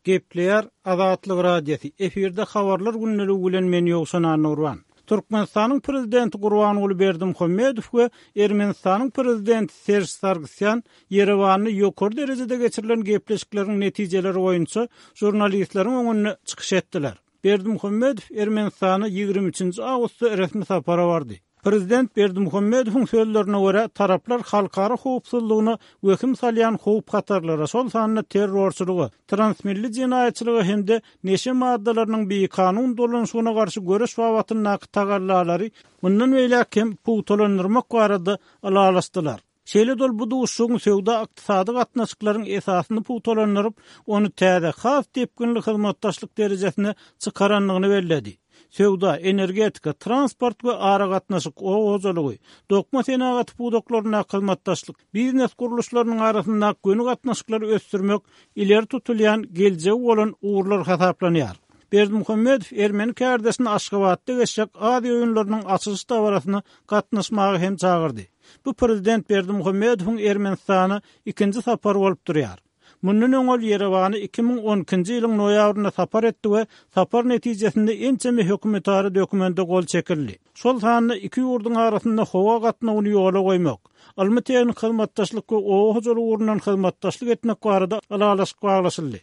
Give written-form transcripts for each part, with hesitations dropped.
Gepleýär Azatlyk Radiosy, efirde Habarlar gündeligi bilen men Ýowşan Annagurban. Türkmenistanyň Prezidenti Gurbanguly Berdimuhamedow we Ermenistanyň Prezidenti Serž Sargsýan Ýerewanda ýokary derejede geçirilen gepleşikleriň netijeleri boýunça žurnalistleriň öňünde çykyş etdiler. Berdimuhamedow Ermenistana 23-nji awgustda resmi sapara bardy. Prezident Berdimuhamedowyň sözlerine görä, taraplar halkara howpsuzlygyna wehim salýan howp-hatarlara, şol sanda terrorçylyga, transmilli jenaýatçylyga hem-de neşe maddalarynyň bikanun dolanyşygyna garşy göreş babatyndaky tagallalary mundan beýläk hem pugtalandyrmak barada ylalaşdylar. Şeýle-de ol bu duşuşygyň söwda-ykdysady gatnaşyklaryň esasyny pugtalandyryp, ony täze, has depginli hyzmatdaşlyk derejesine çykarandygyny belledi. Söwda, energetika, transport we aragatnaşyk, oba hojalygy, dokma senagaty pudaklaryndaky hyzmatdaşlyk, biznes gurluşlarynyň arasyndaky göni gatnaşyklary ösdürmek ileri tutulýan geljegi bolan ugurlar hasaplanýar. Berdimuhamedow ermeni kärdeşini Aşgabatda geçjek Aziýa oýunlarynyň açylyş dabarasyna gatnaşmaga hem çagyrdy. Bu prezident Berdimuhamedowyň Ermenistana ikinji sapary bolup durýar. Mundan öň ol Ýerewana 2012-nji ýylyň noýabrynda sapar etdi we sapar netijesinde ençeme hökümetara dokumente gol çekildi. Şol sanda iki ýurduň arasynda howa gatnawyny ýola goýmak, ylmy-tehniki hyzmatdaşlyk we oba hojalygy ugrundan hyzmatdaşlyk etmek barada ylalaşyk baglaşyldy.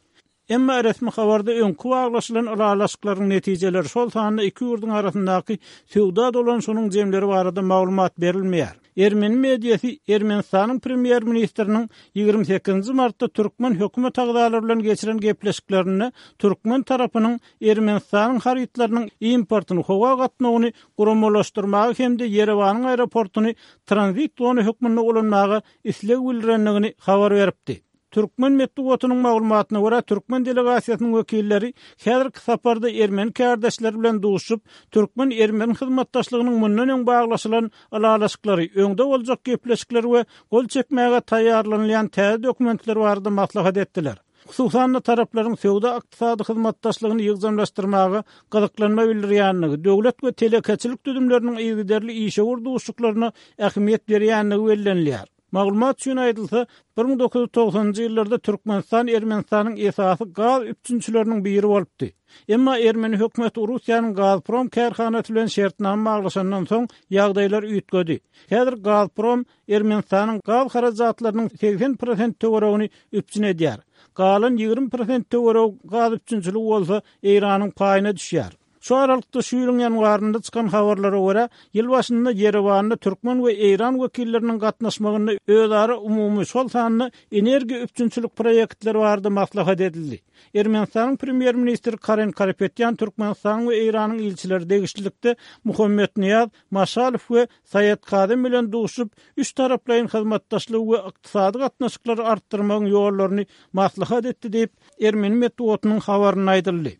Emma resmi habarda öňki baglaşylan ylalaşyklaryň netijeleri, şol sanda iki ýurduň arasyndaky söwda dolanyşygynyň jemleri barada maglumat berilmeýär. Ermeni mediasy Ermenistanyň premýer-ministriniň 28-nji martda türkmen hökümet agzalary bilen geçiren gepleşiklerinde türkmen tarapynyň Ermenistanyň harytlarynyň importyny, howa gatnawyny guramalaşdyrmaga hem-de Ýerewanyň aeroportuny tranzit zona hökmünde ulanmaga isleg bildirendigini habar beripdi. Türkmen metbugatynyň maglumatyna görä, türkmen delegasiýasynyň wekilleri häzirki saparda ermeni kärdeşleri bilen duşuşyp, türkmen-ermeni hyzmatdaşlygynyň mundan öň baglaşylan ylalaşyklary, öňde boljak gepleşikler we gol çekmäge taýýarlanylýan täze dokumentler barada maslahat etdiler. Hususan-da, taraplaryň söwda-ykdysady hyzmatdaşlygyny ýygjamlaşdyrmaga gyzyklanma bildirýändigi, döwlet we telekeçilik düzümleriniň yzygiderli işewür duşuşyklaryna ähmiýet berýändigi bellenilýär. Maglumat üçin aýdylsa, 1990-njy ýyllarda Türkmenistan Ermenistanyň esasy gaz üpjünçileriniň biri bolupdy. Emma ermeni hökümeti Russiýanyň Gazprom kärhanasy bilen şertnama baglaşandan soň, ýagdaýlar üýtgedi. Häzir Gazprom Ermenistanyň gaz harajatlarynyň 80 prosent töweregini üpjün edýär. Galan 20 prosent töweregi gaz üpjünçiligi bolsa Eýranyň paýyna düşýär. Şu aralykda, şu ýylyň ýanwarynda çykan habarlara görä, ýyl başynda Ýerewanda türkmen we eýran wekilleriniň gatnaşmagynda özara umumy, şol sanda energiýa üpjünçilik proýektleri barada maslahat edildi. Ermenistanyň premýer-ministri Karen Karapetýan Türkmenistanyň we Eýranyň ilçileri degişlilikde Muhammetnyýaz Maşalow we Saýed Kazem bilen duşup, üçtaraplaýyn hyzmatdaşlygy we ykdysady gatnaşyklary artdyrmagyň ýollaryny maslahat etdi diýip, ermeni metbugatynyň habarynda aýdyldy.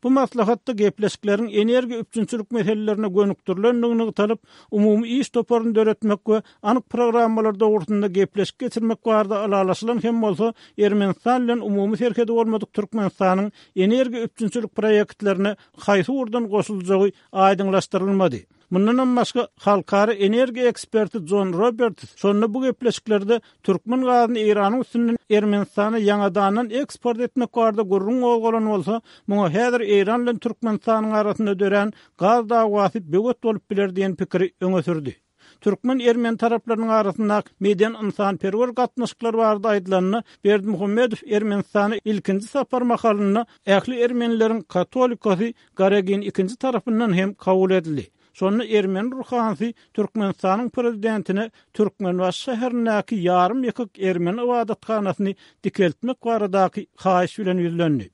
Bu maslahatda gepleşikleriň energiýa üpjünçilik meselelerine gönükdirilendigi nygtalyp, umumy iş toparyny döretmek we anyk programmalar dogrusynda gepleşik geçirmek barada ylalaşylan hem bolsa, Ermenistan bilen umumy serhedi bolmadyk Türkmenistanyň energiýa üpjünçilik proýektlerine haýsy ugurdan goşuljagy aýdyňlaşdyrylmady. Mundanam başga, halkara energiýa eksperti Jon Roberts şonda bu gepleşiklerde türkmen gazyny Eýranyň üstünden Ermenistana ýaňadandan eksport etmek barada gürrüň gozgalan bolsa, muňa häzir Eýran bilen Türkmenistanyň arasynda dörän gaz dawasy böwet bolup biler diýen pikiri öňe sürdi. Türkmen-ermeni taraplarynyň arasyndaky medeni-ynsanperwer gatnaşyklar barada aýdylanda, Berdimuhamedow Ermenistana ilkinji sapar mahalynda ähli ermenileriň katolikosy Garegin ikinji tarapyndan hem kabul edildi. Şonda ermeni ruhanysy Türkmenistanyň prezidentine Türkmenbaşy şäherindäki ýarym ýykyk ermeni ybadathanasyny dikeltmek baradaky haýyş bilen ýüzlendi.